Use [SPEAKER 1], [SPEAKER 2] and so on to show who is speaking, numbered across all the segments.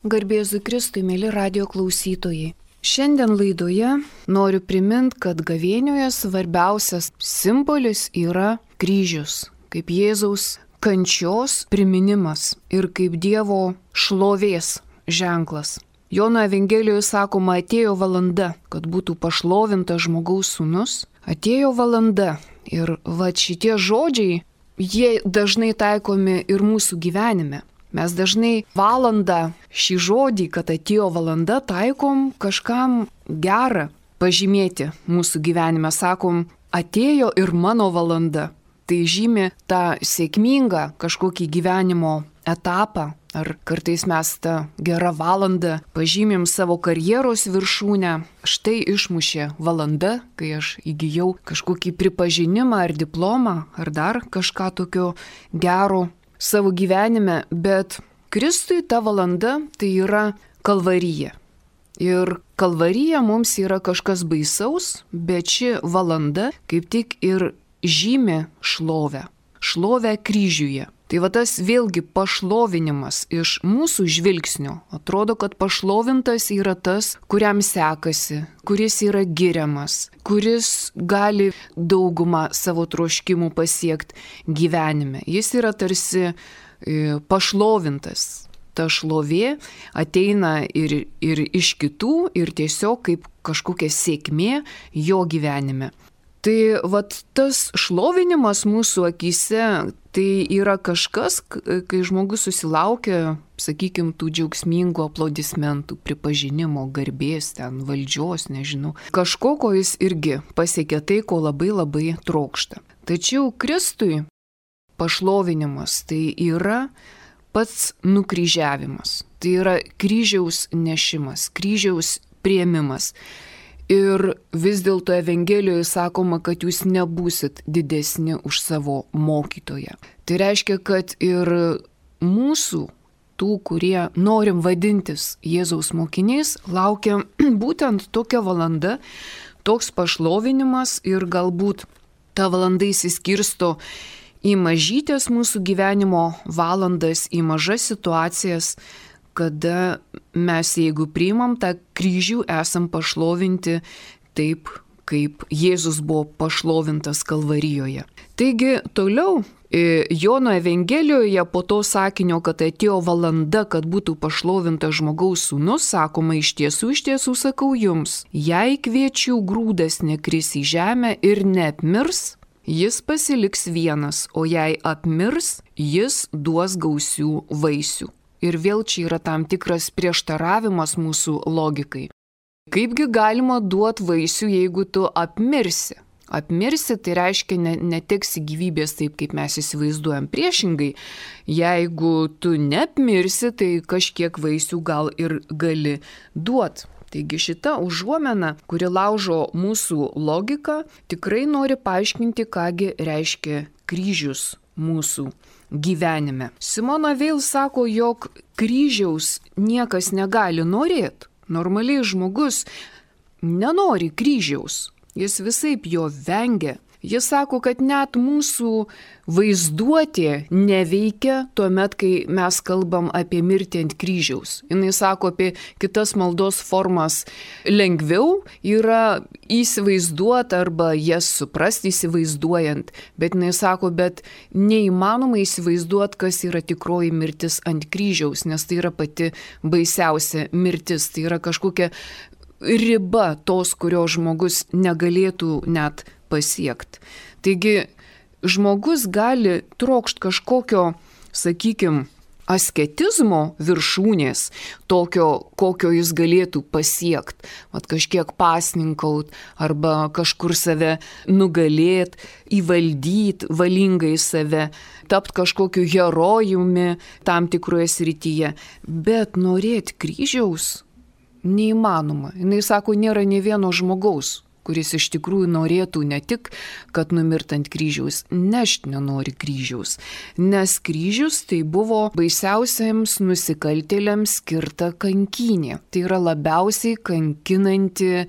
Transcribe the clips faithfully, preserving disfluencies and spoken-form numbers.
[SPEAKER 1] Garbėzu Kristui, mėly radio klausytojai. Šiandien laidoje noriu priminti, kad gavėnioje svarbiausias simbolis yra kryžius, kaip Jėzaus kančios priminimas ir kaip Dievo šlovės ženklas. Jono Evangelijoje sakoma, atėjo valanda, kad būtų pašlovintas žmogaus sūnus. Atėjo valanda ir va šitie žodžiai, jie dažnai taikomi ir mūsų gyvenime. Mes dažnai valandą šį žodį, kad atėjo valanda, taikom kažkam gerą pažymėti mūsų gyvenime. Sakom, atėjo ir mano valanda. Tai žymi tą sėkmingą kažkokį gyvenimo etapą. Ar kartais mes tą gerą valandą pažymim savo karjeros viršūnę. Štai išmušė valanda, kai aš įgijau kažkokį pripažinimą ar diplomą, ar dar kažką tokio gero savo gyvenime, bet Kristui ta valanda tai yra kalvarija. Ir kalvarija mums yra kažkas baisaus, bet ši valanda kaip tik ir žymi šlovę, šlovę kryžiuje. Tai va tas vėlgi pašlovinimas iš mūsų žvilgsnio. Atrodo, kad pašlovintas yra tas, kuriam sekasi, kuris yra giriamas, kuris gali daugumą savo troškimų pasiekti gyvenime. Jis yra tarsi pašlovintas. Ta šlovė ateina ir, ir iš kitų, ir tiesiog kaip kažkokia sėkmė jo gyvenime. Tai vat tas šlovinimas mūsų akyse, tai yra kažkas, kai žmogus susilaukia, sakykime, tų džiaugsmingų aplodismentų, pripažinimo, garbės, ten valdžios, nežinau. Kažko, ko jis irgi pasiekia tai, ko labai labai trokšta. Tačiau Kristui pašlovinimas tai yra pats nukryžiavimas. Tai yra kryžiaus nešimas, kryžiaus priėmimas. Ir vis dėlto Evangelijoje sakoma, kad jūs nebūsit didesni už savo mokytoją. Tai reiškia, kad ir mūsų, tų, kurie norim vadintis Jėzaus mokiniais, laukia būtent tokia valanda, toks pašlovinimas ir galbūt ta valanda įsiskirsto į mažytės mūsų gyvenimo valandas, į mažas situacijas, kada mes, jeigu priimam tą kryžių, esam pašlovinti taip, kaip Jėzus buvo pašlovintas Kalvarijoje. Taigi toliau Jono Evangelijoje po to sakinio, kad atėjo valanda, kad būtų pašlovintas žmogaus sūnus, sakoma, iš tiesų, iš tiesų sakau jums, jei kviečių grūdas nekris į žemę ir neapmirs, jis pasiliks vienas, o jei apmirs, jis duos gausių vaisių. Ir vėl čia yra tam tikras prieštaravimas mūsų logikai. Kaipgi galima duoti vaisių, jeigu tu apmirsi? Apmirsi tai reiškia ne, neteksi gyvybės taip, kaip mes įsivaizduojam. Priešingai, jeigu tu neapmirsi, tai kažkiek vaisių gal ir gali duoti. Taigi šita užuomena, kuri laužo mūsų logiką, tikrai nori paaiškinti, kągi reiškia kryžius mūsų gyvenime. Simona Veil sako, jog kryžiaus niekas negali norėti. Normaliai žmogus nenori kryžiaus, jis visaip jo vengia. Jis sako, kad net mūsų vaizduotė neveikia tuomet, kai mes kalbam apie mirtį ant kryžiaus. Jis sako, apie kitas maldos formas lengviau yra įsivaizduoti arba jas suprasti įsivaizduojant. Bet jis sako, bet neįmanoma įsivaizduoti, kas yra tikroji mirtis ant kryžiaus, nes tai yra pati baisiausia mirtis. Tai yra kažkokia riba tos, kurio žmogus negalėtų net pasiekti. Taigi žmogus gali trokšti kažkokio, sakykime, asketizmo viršūnės, tokio, kokio jis galėtų pasiekti. Vat kažkiek pasninkaut arba kažkur save nugalėti, įvaldyti valingai save, tapti kažkokiu herojumi tam tikroje srityje. Bet norėti kryžiaus neįmanoma. Jis sako, nėra nė vieno žmogaus, kuris iš tikrųjų norėtų ne tik, kad numirt ant kryžiaus, nešt nenori kryžiaus. Nes kryžius tai buvo baisiausiams nusikaltėliams skirta kankynė. Tai yra labiausiai kankinanti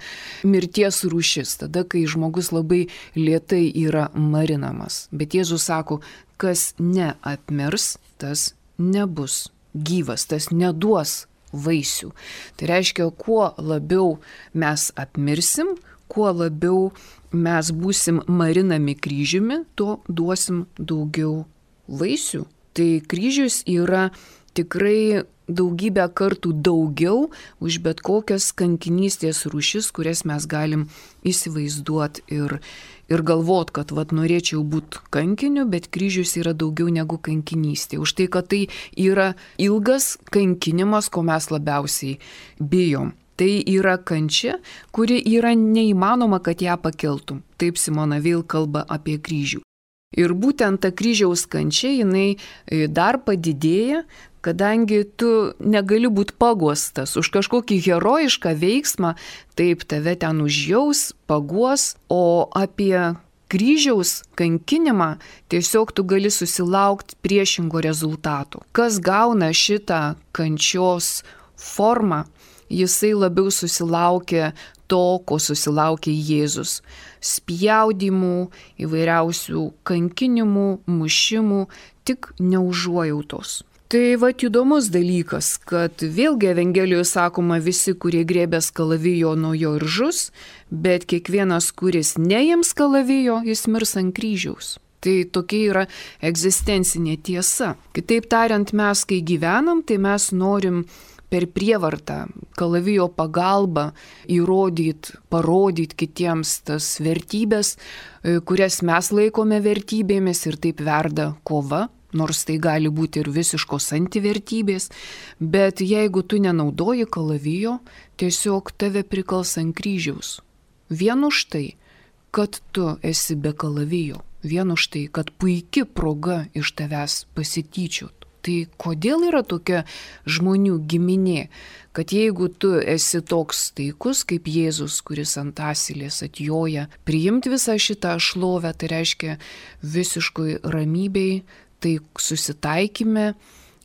[SPEAKER 1] mirties rūšis, tada, kai žmogus labai lėtai yra marinamas. Bet Jėzus sako, kas neapmirs, tas nebus gyvas, tas neduos vaisių. Tai reiškia, kuo labiau mes apmirsim, kuo labiau mes būsim marinami kryžiumi, tuo duosim daugiau vaisių. Tai kryžius yra tikrai daugybę kartų daugiau už bet kokias kankinystės rūšis, kurias mes galim įsivaizduoti ir, ir galvot, kad vat, norėčiau būti kankiniu, bet kryžius yra daugiau negu kankinystė. Už tai, kad tai yra ilgas kankinimas, ko mes labiausiai bijom. Tai yra kančia, kuri yra neįmanoma, kad ją pakeltum. Taip Simona Veil kalba apie kryžių. Ir būtent ta kryžiaus kančia, jinai dar padidėja, kadangi tu negali būti paguostas už kažkokį herojišką veiksmą, taip tave ten užjaus, paguos, o apie kryžiaus kankinimą tiesiog tu gali susilaukti priešingo rezultato. Kas gauna šitą kančios formą, jisai labiau susilaukia to, ko susilaukė Jėzus. Spjaudimų, įvairiausių kankinimų, mušimų, tik neužuojautos. Tai va įdomus dalykas, kad vėlgi Evangelijoje sakoma, visi, kurie grėbės kalavijo, nuo jo ir žus, bet kiekvienas, kuris neims kalavijo, jis mirs ant kryžiaus. Tai tokia yra egzistencinė tiesa. Kitaip tariant, mes, kai gyvenam, tai mes norim per prievartą, kalavijo pagalbą įrodyti, parodyti kitiems tas vertybės, kurias mes laikome vertybėmis, ir taip verda kova, nors tai gali būti ir visiškos antivertybės, bet jeigu tu nenaudoji kalavijo, tiesiog tave prikals ant kryžiaus. Vien už tai, kad tu esi be kalavijo, vien už tai, kad puiki proga iš tavęs pasityčiot. Tai kodėl yra tokia žmonių giminė, kad jeigu tu esi toks taikus kaip Jėzus, kuris ant asilės atjoja, priimti visą šitą šlovę, tai reiškia visiškoj ramybei, tai susitaikime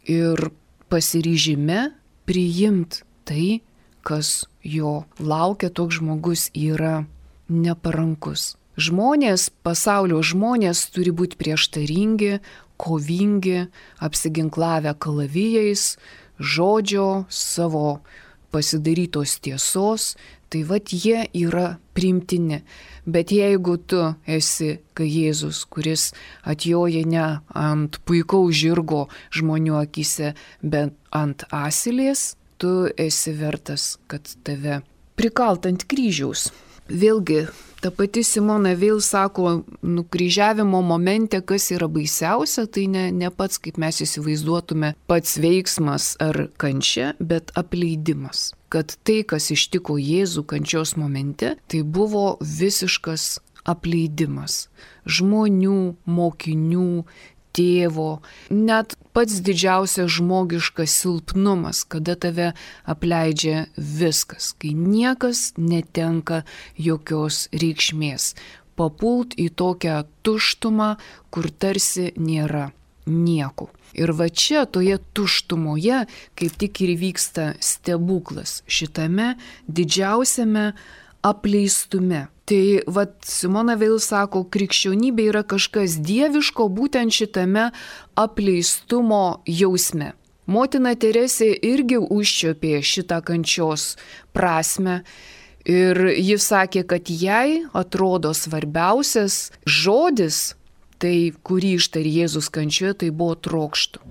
[SPEAKER 1] ir pasiryžime priimti tai, kas jo laukia, toks žmogus yra neparankus. Žmonės, pasaulio žmonės turi būti prieštaringi, kovingi, apsiginklavę kalavijais, žodžio, savo pasidarytos tiesos, tai vat jie yra priimtini. Bet jeigu tu esi kaip Jėzus, kuris atjoja ne ant puikaus žirgo žmonių akise, bet ant asilės, tu esi vertas, kad tave prikalt ant kryžiaus. Vėlgi, ta pati Simona Veil sako, nukryžiavimo momente, kas yra baisiausia, tai ne, ne pats, kaip mes įsivaizduotume, pats veiksmas ar kančia, bet apleidimas. Kad tai, kas ištiko Jėzų kančios momente, tai buvo visiškas apleidimas. Žmonių, mokinių, tėvo, net pats didžiausias žmogiškas silpnumas, kada tave apleidžia viskas, kai niekas netenka jokios reikšmės. Papult į tokią tuštumą, kur tarsi nėra nieko. Ir va čia, toje tuštumoje, kaip tik ir vyksta stebuklas šitame didžiausiame apleistume. Tai vat Simona Veil sako, krikščionybė yra kažkas dieviško būtent šitame apleistumo jausme. Motina Teresė irgi užčiuopė šitą kančios prasme ir ji sakė, kad jai atrodo svarbiausias žodis, tai kurį ištarė Jėzus kančioje, tai buvo trokštu.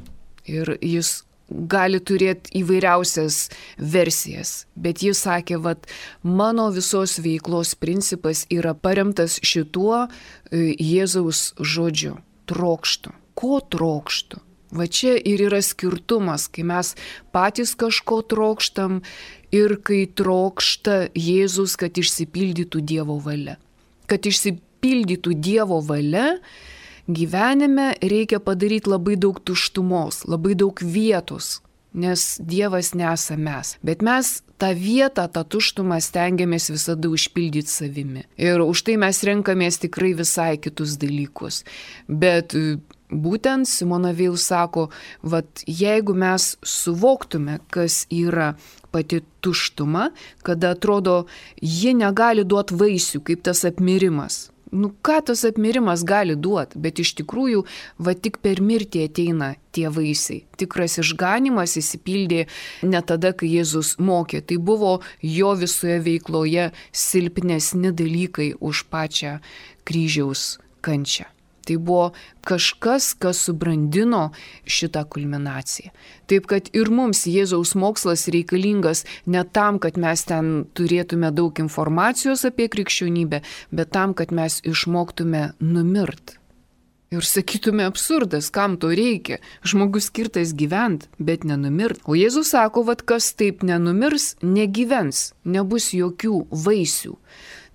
[SPEAKER 1] Ir jis gali turėti įvairiausias versijas, bet jis sakė, vat, mano visos veiklos principas yra paremtas šituo Jėzaus žodžiu – trokštu. Ko trokštu? Va čia ir yra skirtumas, kai mes patys kažko trokštam ir kai trokšta Jėzus, kad išsipildytų Dievo valia. Kad išsipildytų Dievo valia, gyvenime reikia padaryti labai daug tuštumos, labai daug vietos, nes Dievas nesame mes. Bet mes tą vietą, tą tuštumą stengiamės visada užpildyti savimi. Ir už tai mes renkamės tikrai visai kitus dalykus. Bet būtent Simona Veil sako, vat jeigu mes suvoktume, kas yra pati tuštuma, kada atrodo, ji negali duoti vaisių, kaip tas apmirimas. Nu, ką tas apmirimas gali duoti, bet iš tikrųjų, va tik per mirtį ateina tie vaisiai. Tikras išganimas įsipildė ne tada, kai Jėzus mokė, tai buvo jo visoje veikloje silpnesni dalykai už pačią kryžiaus kančią. Tai buvo kažkas, kas subrandino šitą kulminaciją. Taip, kad ir mums Jėzaus mokslas reikalingas ne tam, kad mes ten turėtume daug informacijos apie krikščionybę, bet tam, kad mes išmoktume numirt. Ir sakytume absurdas, kam to reikia. Žmogus skirtas gyvent, bet nenumirt. O Jėzus sako, vad kas taip nenumirs, negyvens, nebus jokių vaisių.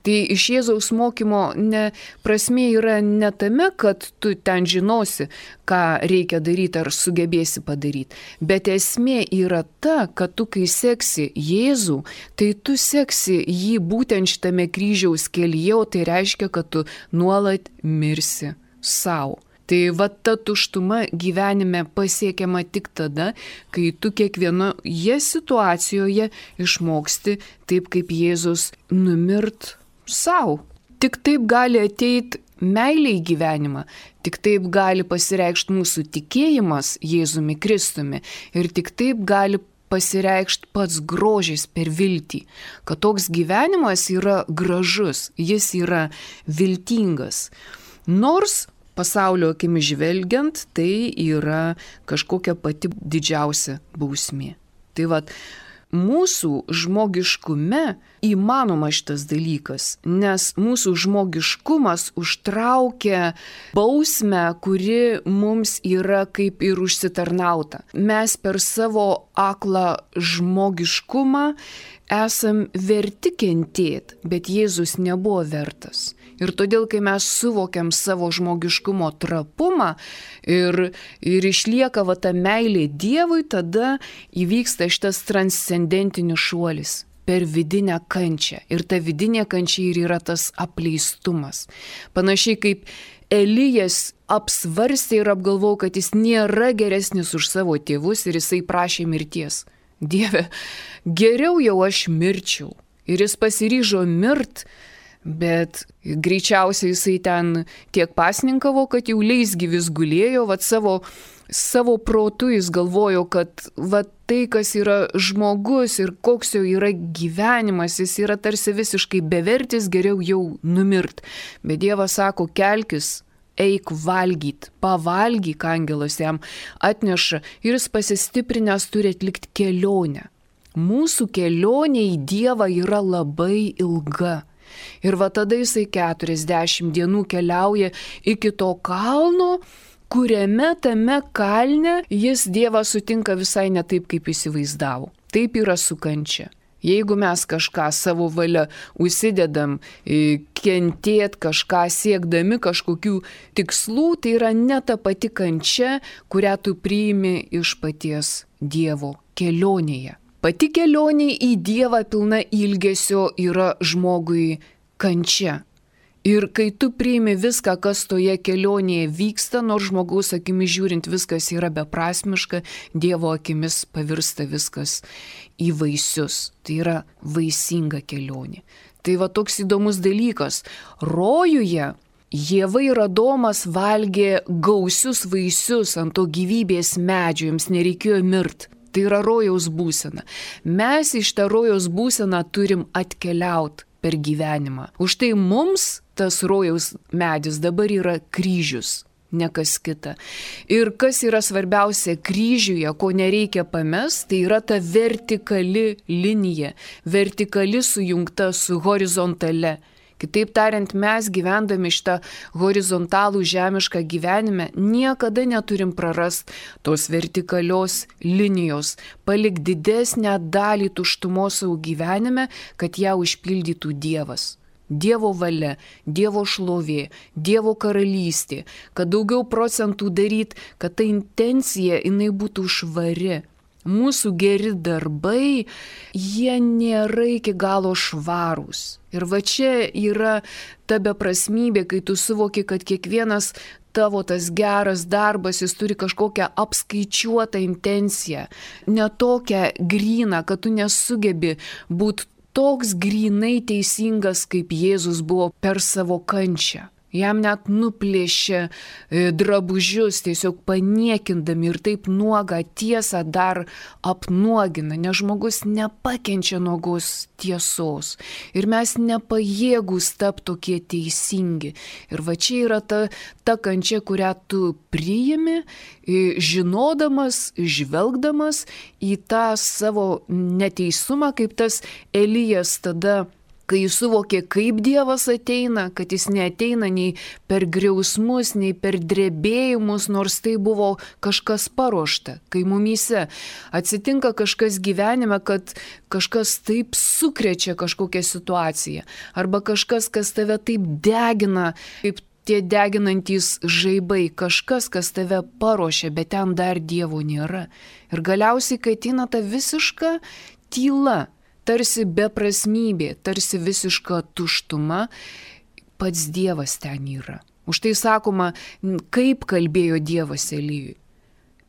[SPEAKER 1] Tai iš Jėzaus mokymo ne, prasmė yra ne tame, kad tu ten žinosi, ką reikia daryti ar sugebėsi padaryti, bet esmė yra ta, kad tu kai seksi Jėzų, tai tu seksi jį būtent šitame kryžiaus kelyje, o tai reiškia, kad tu nuolat mirsi savo. Tai va ta tuštuma gyvenime pasiekiama tik tada, kai tu kiekvienoje situacijoje išmoksti taip, kaip Jėzus numirt sau. Tik taip gali ateiti meilė į gyvenimą, tik taip gali pasireikšti mūsų tikėjimas Jėzumi Kristumi ir tik taip gali pasireikšti pats grožis per viltį, kad toks gyvenimas yra gražus, jis yra viltingas. Nors pasaulio akimis žvelgiant, tai yra kažkokia pati didžiausia bausmė. Tai vat, mūsų žmogiškume įmanoma šitas dalykas, nes mūsų žmogiškumas užtraukia bausmę, kuri mums yra kaip ir užsitarnauta. Mes per savo aklą žmogiškumą esam verti kentėti, bet Jėzus nebuvo vertas. Ir todėl, kai mes suvokiam savo žmogiškumo trapumą ir, ir išlieka va ta meilė Dievui, tada įvyksta šitas transcendentinis šuolis per vidinę kančią. Ir ta vidinė kančia ir yra tas apleistumas. Panašiai kaip Elijas apsvarstė ir apgalvojo, kad jis nėra geresnis už savo tėvus ir jisai prašė mirties. Dieve, geriau jau aš mirčiau. Ir jis pasiryžo mirt, bet greičiausiai jisai ten tiek pasninkavo, kad jau leisgyvis gulėjo, vat savo, savo protu jis galvojo, kad vat tai, kas yra žmogus ir koks jau yra gyvenimas, jis yra tarsi visiškai bevertis, geriau jau numirt. Bet Dievas sako, kelkis, eik valgyt, pavalgyk, angelas jam atneša ir jis pasistiprinęs turi atlikti kelionę. Mūsų kelionė į Dievą yra labai ilga. Ir va tada jisai keturiasdešimt dienų keliauja iki to kalno, kuriame tame kalne jis Dievą sutinka visai ne taip, kaip įsivaizdavo. Taip yra su kančia. Jeigu mes kažką savo valia užsidedam, kentėt kažką siekdami kažkokių tikslų, tai yra ne ta pati kančia, kurią tu priimi iš paties Dievo kelionėje. Pati kelionė į Dievą pilna ilgesio yra žmogui kančia. Ir kai tu priimi viską, kas toje kelionėje vyksta, nors žmogaus akimis žiūrint viskas yra beprasmiška, Dievo akimis pavirsta viskas į vaisius. Tai yra vaisinga kelionė. Tai va toks įdomus dalykas. Rojuje Ieva ir Adomas valgė gausius vaisius ant to gyvybės medžio, jiems nereikėjo mirt. Tai yra rojaus būsena. Mes iš tą rojaus būseną turim atkeliauti per gyvenimą. Už tai mums tas rojaus medis dabar yra kryžius, ne kas kita. Ir kas yra svarbiausia kryžiuje, ko nereikia pamest, tai yra ta vertikali linija, vertikali sujungta su horizontale. Kitaip tariant, mes gyvendami šitą horizontalų žemišką gyvenime niekada neturim prarast tos vertikalios linijos, palik didesnę dalį tuštumos savo gyvenime, kad ją užpildytų Dievas. Dievo valia, Dievo šlovė, Dievo karalystė, kad daugiau procentų daryt, kad ta intencija jinai būtų švari. Mūsų geri darbai, jie nėra iki galo švarūs. Ir va čia yra ta beprasmybė, kai tu suvoki, kad kiekvienas tavo tas geras darbas, jis turi kažkokią apskaičiuotą intenciją, ne tokią gryną, kad tu nesugebi būti toks grinai teisingas, kaip Jėzus buvo per savo kančią. Jam net nuplėšė drabužius, tiesiog paniekindami ir taip nuogą tiesą dar apnuogina, nes žmogus nepakenčia nuogos tiesos. Ir mes nepajėgus tapti tokie teisingi. Ir va čia yra ta, ta kančia, kurią tu priimi, žinodamas, žvelgdamas į tą savo neteisumą, kaip tas Elijas tada, kai jis suvokė, kaip Dievas ateina, kad jis neateina nei per griausmus, nei per drebėjimus, nors tai buvo kažkas paruošta. Kai mumyse atsitinka kažkas gyvenime, kad kažkas taip sukrečia kažkokią situaciją, arba kažkas, kas tave taip degina, kaip tie deginantys žaibai, kažkas, kas tave paruošia, bet ten dar Dievo nėra. Ir galiausiai, kai ateina ta visiška tyla, tarsi beprasmybė, tarsi visiška tuštuma, pats Dievas ten yra. Už tai sakoma, kaip kalbėjo Dievas Elijui.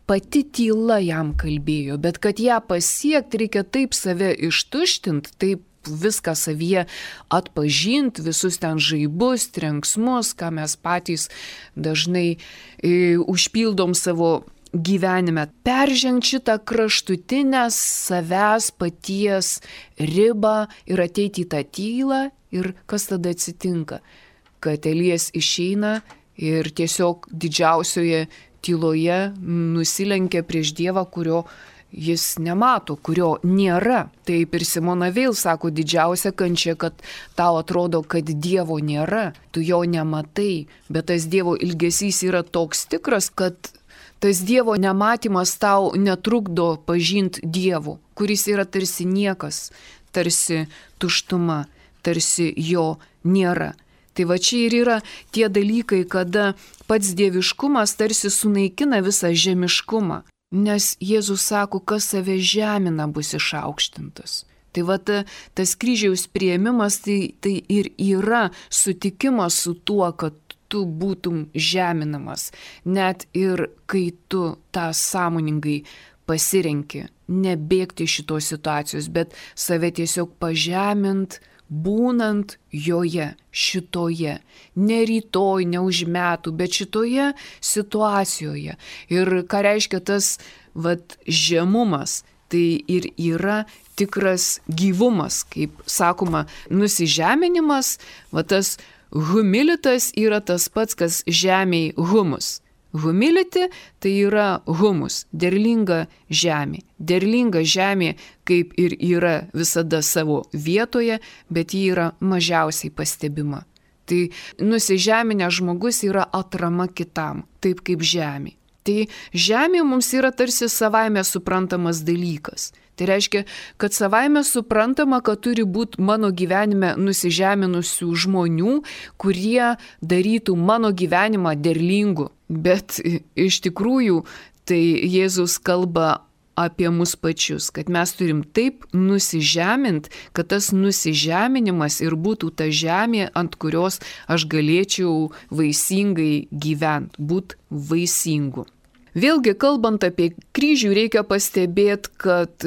[SPEAKER 1] Pati tyla jam kalbėjo, bet kad ją pasiekti, reikia taip save ištuštinti, taip viską savyje atpažinti, visus ten žaibus, trenksmus, ką mes patys dažnai e, užpildom savo gyvenime, peržengti šitą kraštutinę savęs paties ribą ir ateiti į tą tylą. Ir kas tada atsitinka? Kad Elijas išeina ir tiesiog didžiausioje tyloje nusilenkia prieš Dievą, kurio jis nemato, kurio nėra. Taip ir Simona Veil sako, didžiausia kančia, kad tau atrodo, kad Dievo nėra, tu jo nematai, bet tas Dievo ilgesys yra toks tikras, kad tas Dievo nematymas tau netrukdo pažinti Dievo, kuris yra tarsi niekas, tarsi tuštuma, tarsi jo nėra. Tai va čia ir yra tie dalykai, kada pats dieviškumas tarsi sunaikina visą žemiškumą, nes Jėzus sako, kas save žemina, bus išaukštintas. Tai va ta, tas kryžiaus priėmimas, tai, tai ir yra sutikimas su tuo, kad tu būtum žeminamas, net ir kai tu tą sąmoningai pasirenki, nebėgti šitos situacijos, bet save tiesiog pažemint, būnant joje, šitoje, ne rytoj, ne už metų, bet šitoje situacijoje. Ir ką reiškia tas vat, žemumas, tai ir yra tikras gyvumas, kaip sakoma, nusižeminimas, va tas humilitas yra tas pats, kas žemėj humus. Humility tai yra humus, derlinga žemė. Derlinga žemė, kaip ir yra visada savo vietoje, bet ji yra mažiausiai pastebima. Tai nusižeminęs žmogus yra atrama kitam, taip kaip žemė. Tai žemė mums yra tarsi savaime suprantamas dalykas. Tai reiškia, kad savaime suprantama, kad turi būti mano gyvenime nusižeminusių žmonių, kurie darytų mano gyvenimą derlingu. Bet iš tikrųjų tai Jėzus kalba apie mus pačius, kad mes turim taip nusižemint, kad tas nusižeminimas ir būtų ta žemė, ant kurios aš galėčiau vaisingai gyventi, būti vaisingu. Vėlgi, kalbant apie kryžių, reikia pastebėti, kad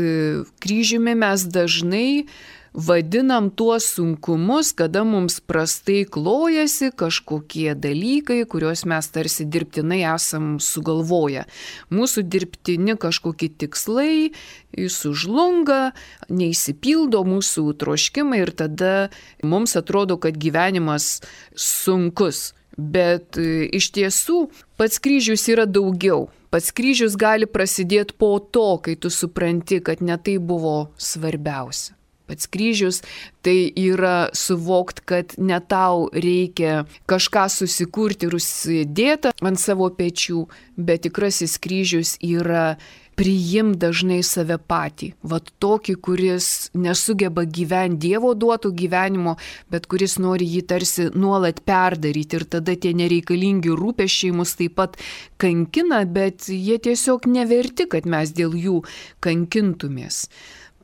[SPEAKER 1] kryžiumi mes dažnai vadinam tuos sunkumus, kada mums prastai klojasi kažkokie dalykai, kuriuos mes tarsi dirbtinai esam sugalvoję. Mūsų dirbtini kažkokie tikslai sužlunga, neįsipildo mūsų troškimai ir tada mums atrodo, kad gyvenimas sunkus. Bet iš tiesų pats kryžius yra daugiau. Pats kryžius gali prasidėti po to, kai tu supranti, kad ne tai buvo svarbiausia. Pats kryžius tai yra suvokt, kad ne tau reikia kažką susikurti ir užsidėti ant savo pečių, bet tikrasis kryžius yra priim dažnai save patį. Vat tokį, kuris nesugeba gyventi Dievo duoto gyvenimo, bet kuris nori jį tarsi nuolat perdaryti. Ir tada tie nereikalingi rūpesčiai mus taip pat kankina, bet jie tiesiog neverti, kad mes dėl jų kankintumės.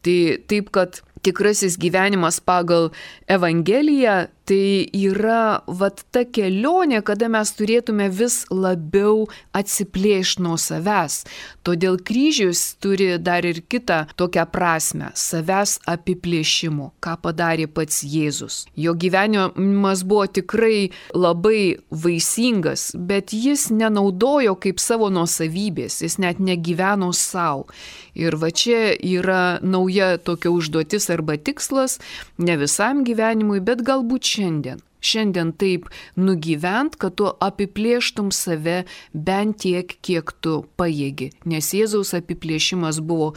[SPEAKER 1] Tai taip, kad tikrasis gyvenimas pagal Evangeliją Tai yra vat ta kelionė, kada mes turėtume vis labiau atsiplėšti nuo savęs. Todėl kryžius turi dar ir kitą tokią prasme - savęs apiplėšimo, ką padarė pats Jėzus. Jo gyvenimas buvo tikrai labai vaisingas, bet jis nenaudojo kaip savo nuosavybės, jis net negyveno savo. Ir va čia yra nauja tokia užduotis arba tikslas, ne visam gyvenimui, bet galbūt šiandien. Šiandien taip nugyvent, kad tu apiplėštum save bent tiek, kiek tu pajėgi. Nes Jėzaus apiplėšimas buvo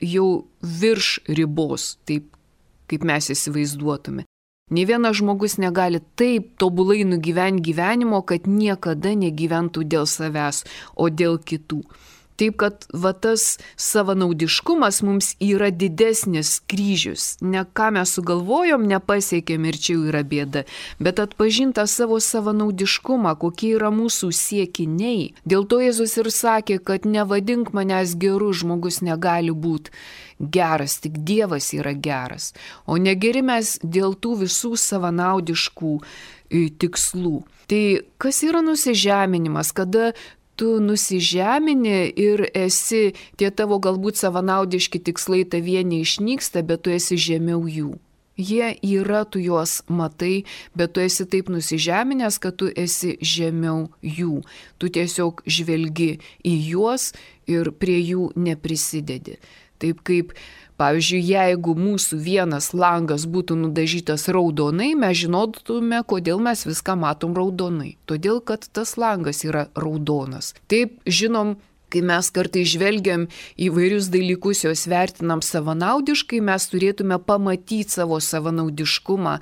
[SPEAKER 1] jau virš ribos, taip kaip mes įsivaizduotume. Nė vienas žmogus negali taip tobulai nugyventi gyvenimo, kad niekada negyventų dėl savęs, o dėl kitų. Taip, kad va tas savanaudiškumas mums yra didesnis kryžius. Ne ką mes sugalvojom, nepasiekėm ir čia yra bėda, bet atpažinta savo savanaudiškumą, kokie yra mūsų siekiniai. Dėl to Jėzus ir sakė, kad nevadink manęs geru, žmogus negali būti geras, tik Dievas yra geras. O negeri mes dėl tų visų savanaudiškų tikslų. Tai kas yra nusižeminimas, kada tu nusižemini ir esi, tie tavo galbūt savanaudiški tikslai tavie neišnyksta, bet tu esi žemiau jų. Jie yra, tu juos matai, bet tu esi taip nusižeminęs, kad tu esi žemiau jų. Tu tiesiog žvelgi į juos ir prie jų neprisidedi. Taip kaip, pavyzdžiui, jeigu mūsų vienas langas būtų nudažytas raudonai, mes žinotume, kodėl mes viską matom raudonai. Todėl, kad tas langas yra raudonas. Taip, žinom, kai mes kartais žvelgiam įvairius dalykus, juos vertinam savanaudiškai, mes turėtume pamatyti savo savanaudiškumą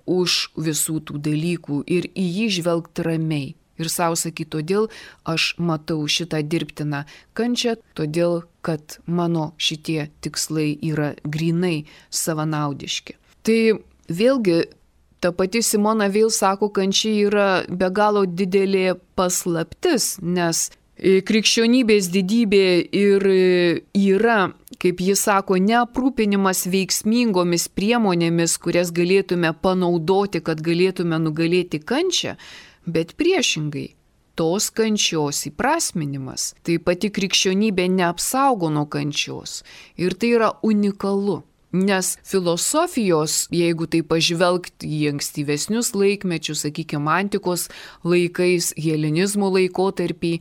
[SPEAKER 1] už visų tų dalykų ir į jį žvelgti ramiai. Ir savo sakyti, todėl aš matau šitą dirbtiną kančią, todėl, kad mano šitie tikslai yra grinai savanaudiški. Tai vėlgi, ta pati Simona Veil sako, kančia yra be galo didelė paslaptis, nes krikščionybės didybė ir yra, kaip jis sako, neaprūpinimas veiksmingomis priemonėmis, kurias galėtume panaudoti, kad galėtume nugalėti kančią, bet priešingai, tos kančios įprasminimas. Tai pati krikščionybė neapsaugo nuo kančios. Ir tai yra unikalu. Nes filosofijos, jeigu tai pažvelgti į ankstyvesnius laikmečius, sakykime, antikos laikais, helenizmo laikotarpį,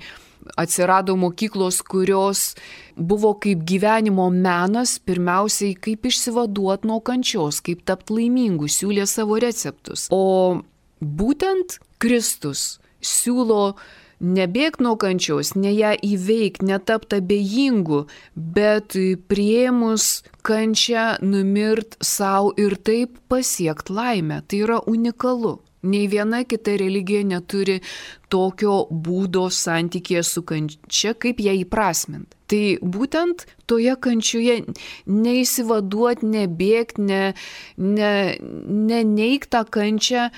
[SPEAKER 1] atsirado mokyklos, kurios buvo kaip gyvenimo menas, pirmiausiai kaip išsivaduoti nuo kančios, kaip tapti laimingu, siūlė savo receptus. O būtent Kristus siūlo nebėgti nuo kančios, ne ją įveikti, netapti abejingu, bet priėmus kančią numirt savo ir taip pasiekti laimę. Tai yra unikalu. Nei viena kita religija neturi tokio būdo santykėje su kančia, kaip ją įprasminti. Tai būtent toje kančioje neįsivaduoti, nebėgti, ne, ne, ne neigti tą kančią,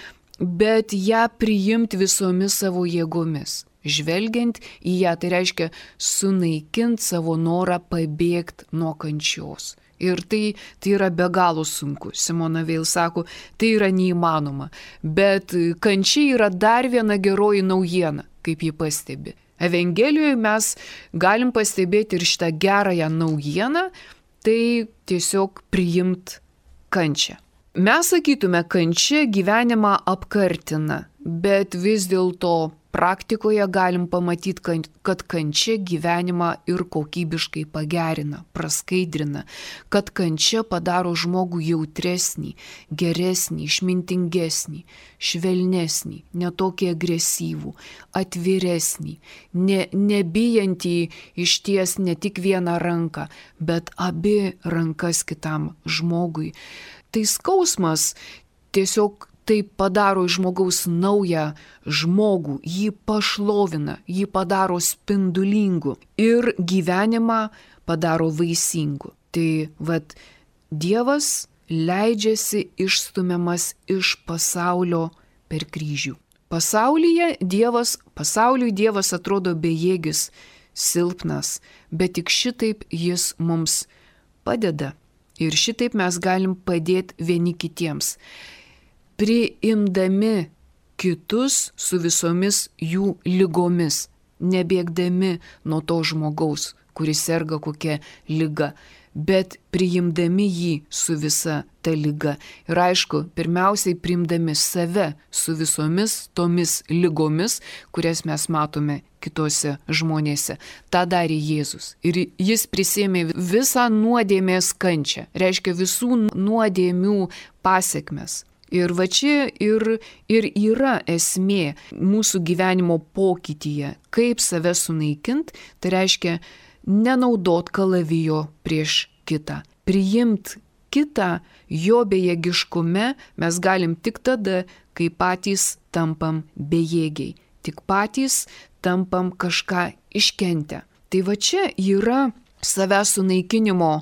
[SPEAKER 1] bet ją priimti visomis savo jėgomis. Žvelgiant į ją, tai reiškia sunaikinti savo norą pabėgti nuo kančios. Ir tai, tai yra be galo sunku. Simona Veil sako, tai yra neįmanoma. Bet kančia yra dar viena geroji naujiena, kaip ji pastebi. Evangelijoje mes galim pastebėti ir šitą gerąją naujieną, tai tiesiog priimt kančią. Mes sakytume, kančia gyvenimą apkartina, bet vis dėlto praktikoje galim pamatyti, kad kančia gyvenimą ir kokybiškai pagerina, praskaidrina, kad kančia padaro žmogų jautresnį, geresnį, išmintingesnį, švelnesnį, netokį agresyvų, atviresnį, ne, nebijantį išties ne tik vieną ranką, bet abi rankas kitam žmogui. Tai skausmas tiesiog taip padaro iš žmogaus naują žmogų, jį pašlovina, jį padaro spindulingu ir gyvenimą padaro vaisingu. Tai vat Dievas leidžiasi išstumiamas iš pasaulio per kryžių. Pasaulyje Dievas, pasauliui Dievas atrodo bejėgis, silpnas, bet tik šitaip jis mums padeda. Ir šitaip mes galim padėti vieni kitiems. priimdami kitus su visomis jų lygomis, nebėgdami nuo to žmogaus, kuris serga kokia liga, bet priimdami jį su visa ta liga. Ir aišku, pirmiausiai priimdami save su visomis tomis lygomis, kurias mes matome kitose žmonėse. Ta darė Jėzus. Ir jis prisėmė visą nuodėmės kančią, reiškia visų nuodėmių pasekmes. Ir va čia ir, ir yra esmė mūsų gyvenimo pokytyje, kaip save sunaikint, tai reiškia nenaudot kalavijo prieš kitą. Priimt kitą jo bejėgiškume mes galim tik tada, kai patys tampam bejėgiai, tik patys tampam kažką iškentę. Tai va čia yra savęs sunaikinimo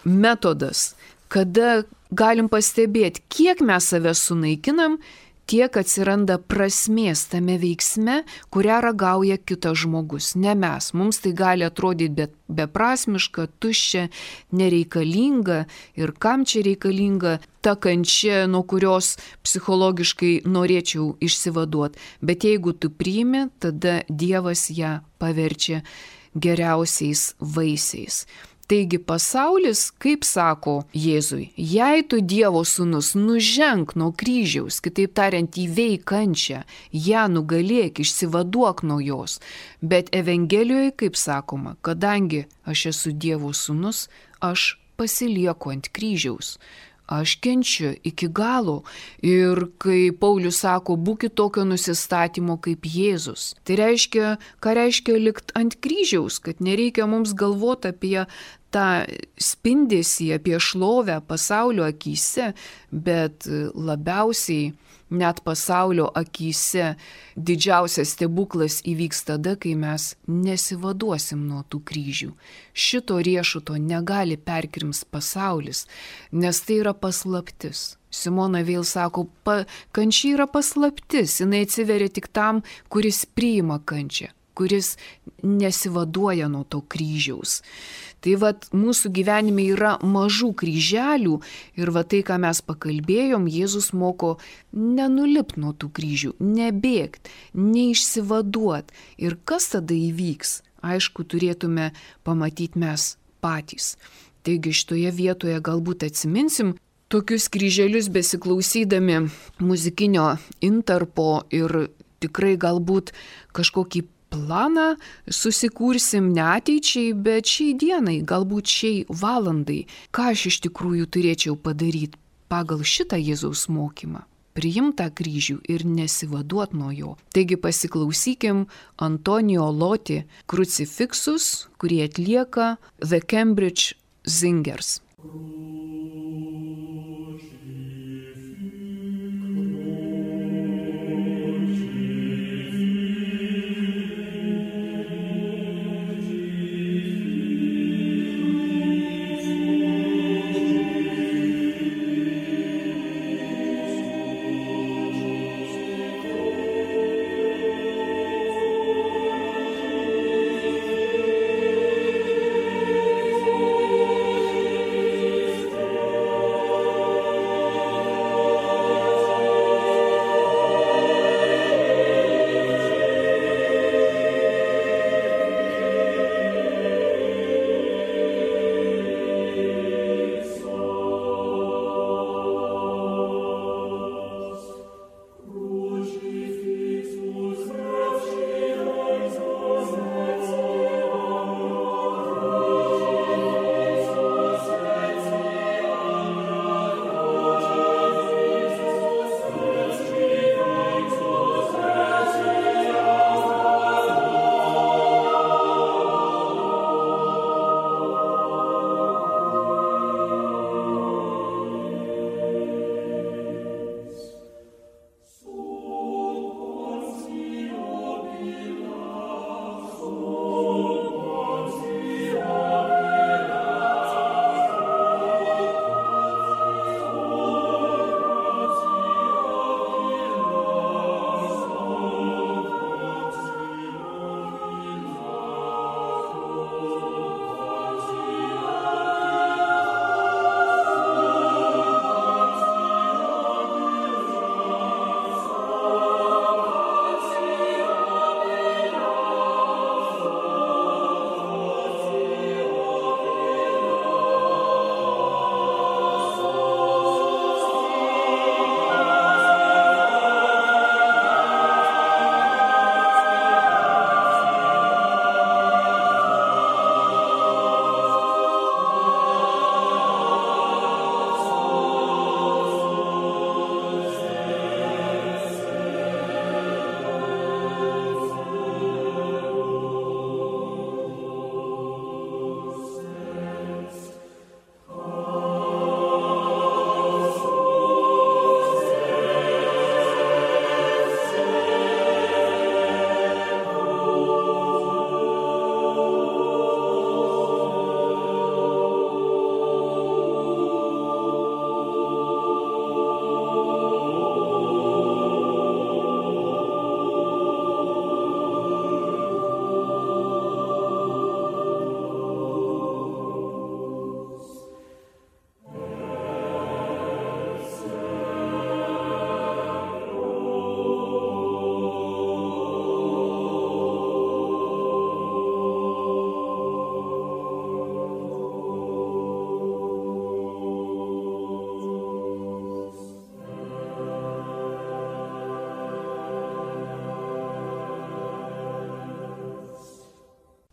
[SPEAKER 1] metodas, kada galim pastebėti, kiek mes save sunaikinam, tiek atsiranda prasmės tame veiksme, kurią ragauja kitas žmogus, ne mes. Mums tai gali atrodyti be, beprasmiška, tuščia, nereikalinga ir kam čia reikalinga ta kančia, nuo kurios psichologiškai norėčiau išsivaduoti. Bet jeigu tu priimi, tada Dievas ją paverčia geriausiais vaisiais. Taigi pasaulis, kaip sako Jėzui, jei tu Dievo sūnus, nuženk nuo kryžiaus, kitaip tariant, įveik kančią, ją nugalėk, išsivaduok nuo jos. Bet Evangelijoje, kaip sakoma, kadangi aš esu Dievo sūnus, aš pasilieku ant kryžiaus. Aš kenčiu iki galo. Ir kai Paulius sako, būkit tokio nusistatymo kaip Jėzus. Tai reiškia, ką reiškia likt ant kryžiaus, kad nereikia mums galvoti apie tą spindesį, apie šlovę pasaulio akyse, bet labiausiai net pasaulio akyse didžiausias stebuklas įvyks tada, kai mes nesivaduosim nuo tų kryžių. Šito riešuto negali perkrims pasaulis, nes tai yra paslaptis. Simona vėl sako, pa, kančia yra paslaptis, jinai atsiveria tik tam, kuris priima kančią, kuris nesivaduoja nuo to kryžiaus. Tai vat mūsų gyvenime yra mažų kryželių ir va tai, ką mes pakalbėjom, Jėzus moko nenulipti nuo tų kryžių, nebėgti, neišsivaduoti. Ir kas tada įvyks? Aišku, turėtume pamatyti mes patys. Taigi šitoje vietoje galbūt atsiminsim tokius kryželius besiklausydami muzikinio intarpo ir tikrai galbūt kažkokį planą susikursim ne ateičiai, bet šiai dienai, galbūt šiai valandai. Ką aš iš tikrųjų turėčiau padaryti pagal šitą Jėzaus mokymą? Priimt tą kryžių ir nesivaduot nuo jo. Taigi pasiklausykim Antonijo Loti Crucifixus, kurį atlieka The Cambridge Singers.
[SPEAKER 2] Thank you.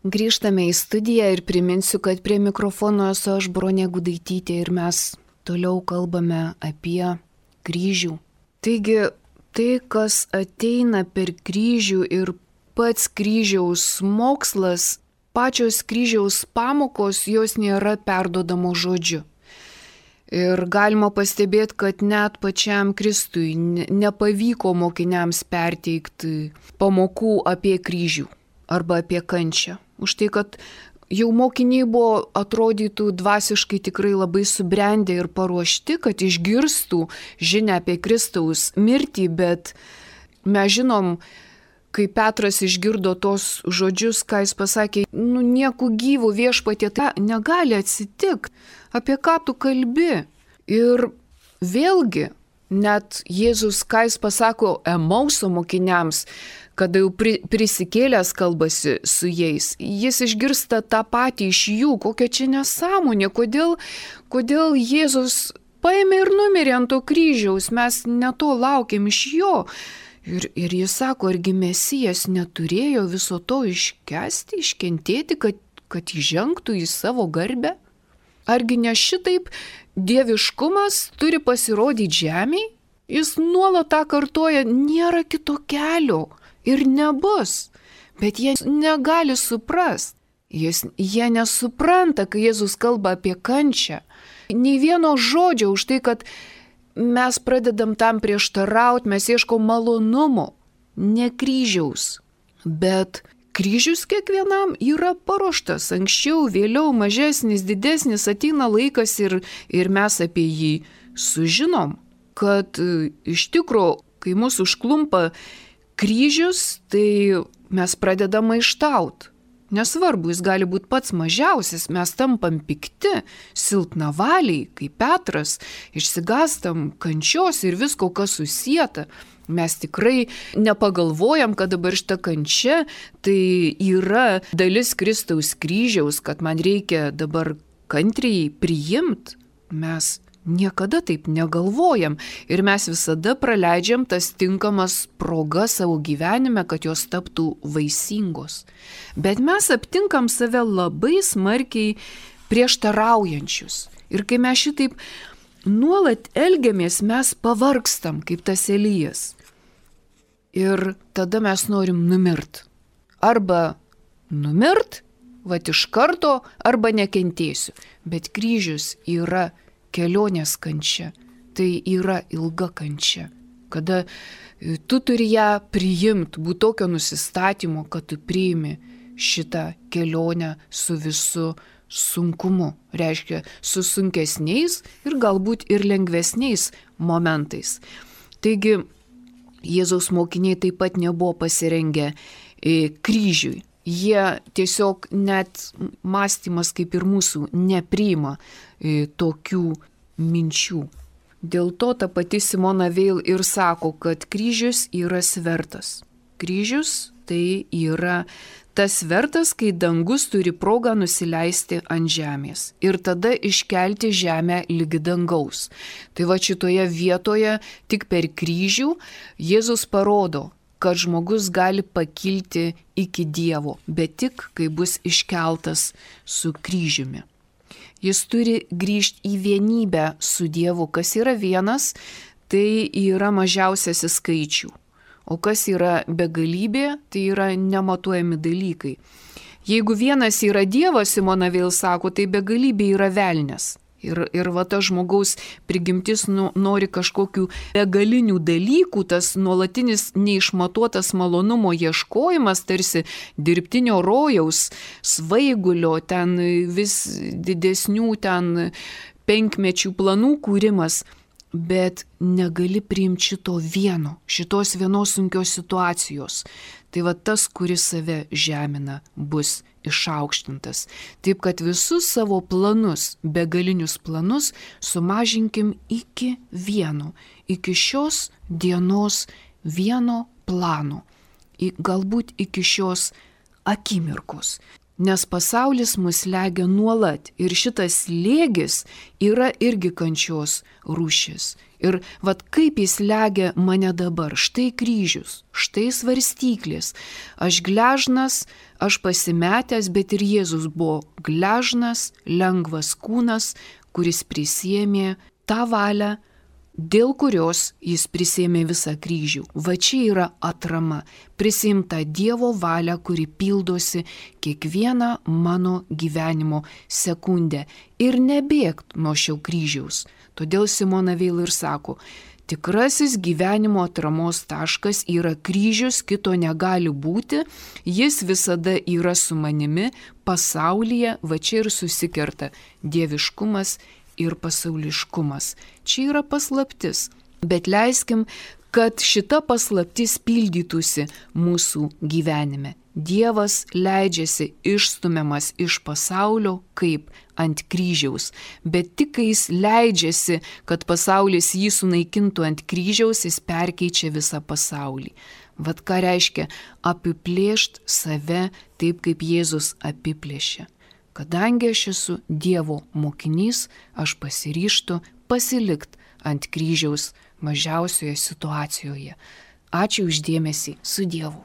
[SPEAKER 1] Grįžtame į studiją ir priminsiu, kad prie mikrofono esu aš, Bronė Gudaitytė, ir mes toliau kalbame apie kryžių. Taigi, tai, kas ateina per kryžių ir pats kryžiaus mokslas, pačios kryžiaus pamokos, jos nėra perduodamos žodžiu. Ir galima pastebėti, kad net pačiam Kristui nepavyko mokiniams perteikti pamokų apie kryžių arba apie kančią. Už tai, kad jau mokiniai buvo, atrodytų, dvasiškai tikrai labai subrendę ir paruošti, kad išgirstų žinią apie Kristaus mirtį, bet mes žinom, kai Petras išgirdo tos žodžius, ką jis pasakė, nu nieku gyvų viešpatie, tai negali atsitikti, apie ką tu kalbi. Ir vėlgi, net Jėzus, ką jis pasako Emauso mokiniams, kada jau prisikėlęs kalbasi su jais, jis išgirsta tą patį iš jų, kokia čia nesąmonė, kodėl, kodėl Jėzus paėmė ir numirė ant to kryžiaus, mes ne to laukiam iš jo. Ir, ir jis sako, argi Mesijas neturėjo viso to iškesti, iškentėti, kad, kad įžengtų į savo garbę? Argi ne šitaip dieviškumas turi pasirodyti žemėje? Jis nuolat tą kartoja, nėra kito kelio. Ir nebus, bet jie negali suprasti. Jis, jie nesupranta, kai Jėzus kalba apie kančią. Nei vieno žodžio už tai, kad mes pradedam tam prieštarauti, mes ieškom malonumo, ne kryžiaus. Bet kryžius kiekvienam yra paruoštas, anksčiau, vėliau, mažesnis, didesnis, ateina laikas ir, ir mes apie jį sužinom, kad iš tikro, kai mūsų užklumpa kryžius, tai mes pradedam maištaut. Nesvarbu, jis gali būti pats mažiausias, mes tampam pikti, silpnavaliai, kaip Petras, išsigastam kančios ir visko, kas susieta. Mes tikrai nepagalvojam, kad dabar šita kančia tai yra dalis Kristaus kryžiaus, kad man reikia dabar kantriai priimti. Mes niekada taip negalvojam ir mes visada praleidžiam tas tinkamas progas savo gyvenime, kad jos taptų vaisingos. Bet mes aptinkam save labai smarkiai prieštaraujančius. Ir kai mes šitaip nuolat elgiamės, mes pavargstam kaip tas Elijas. Ir tada mes norim numirt. Arba numirt, vat iš karto, arba nekentėsiu. Bet kryžius yra kelionės kančia, tai yra ilga kančia, kada tu turi ją priimti, būti tokio nusistatymo, kad tu priimi šitą kelionę su visu sunkumu, reiškia su sunkesniais ir galbūt ir lengvesniais momentais. Taigi Jėzaus mokiniai taip pat nebuvo pasirengę kryžiui. Jie tiesiog net mąstymas kaip ir mūsų nepriima e, tokių minčių. Dėl to ta pati Simona Veil ir sako, kad kryžius yra svertas. Kryžius tai yra tas svertas, kai dangus turi progą nusileisti ant žemės ir tada iškelti žemę lygi dangaus. Tai va šitoje vietoje tik per kryžių Jėzus parodo, kad žmogus gali pakilti iki Dievo, bet tik, kai bus iškeltas su kryžiumi. Jis turi grįžti į vienybę su Dievu. Kas yra vienas, tai yra mažiausiasis skaičių. O kas yra begalybė, tai yra nematuojami dalykai. Jeigu vienas yra Dievas, Simona Veil sako, tai begalybė yra velnias. Ir, ir va ta žmogaus prigimtis nu, nori kažkokių begalinių dalykų, tas nuolatinis neišmatuotas malonumo ieškojimas, tarsi dirbtinio rojaus, svaigulio, ten vis didesnių ten penkmečių planų kūrimas, bet negali priimti šito vieno, šitos vienos sunkios situacijos. Tai va tas, kuris save žemina, bus išaukštintas. Taip, kad visus savo planus, begalinius planus, sumažinkim iki vieno, iki šios dienos vieno plano, galbūt iki šios akimirkos. nes pasaulis mus slegia nuolat ir šitas slėgis yra irgi kančios rūšis. Ir vat kaip jis slegia mane dabar, štai kryžius, štai svarstyklės, aš gležnas, aš pasimetęs, bet ir Jėzus buvo gležnas, lengvas kūnas, kuris prisėmė tą valią, dėl kurios jis prisėmė visą kryžių. Va čia yra atrama, prisimta Dievo valia, kuri pildosi kiekvieną mano gyvenimo sekundę ir nebėgt nuo šio kryžiaus. Todėl Simona Veil ir sako, tikrasis gyvenimo atramos taškas yra kryžius, kito negali būti, jis visada yra su manimi, pasaulyje, va čia ir susikerta dieviškumas ir pasauliškumas. Čia yra paslaptis, bet leiskim, kad šita paslaptis pildytųsi mūsų gyvenime. Dievas leidžiasi išstumiamas iš pasaulio kaip ant kryžiaus, bet tik kai jis leidžiasi, kad pasaulis jį sunaikintų ant kryžiaus, jis perkeičia visą pasaulį. Vat ką reiškia apiplėšt save taip, kaip Jėzus apiplėšė. Kadangi aš esu Dievo mokinys, aš pasiryžtu pasilikt ant kryžiaus mažiausioje situacijoje. Ačiū už dėmesį, su Dievu.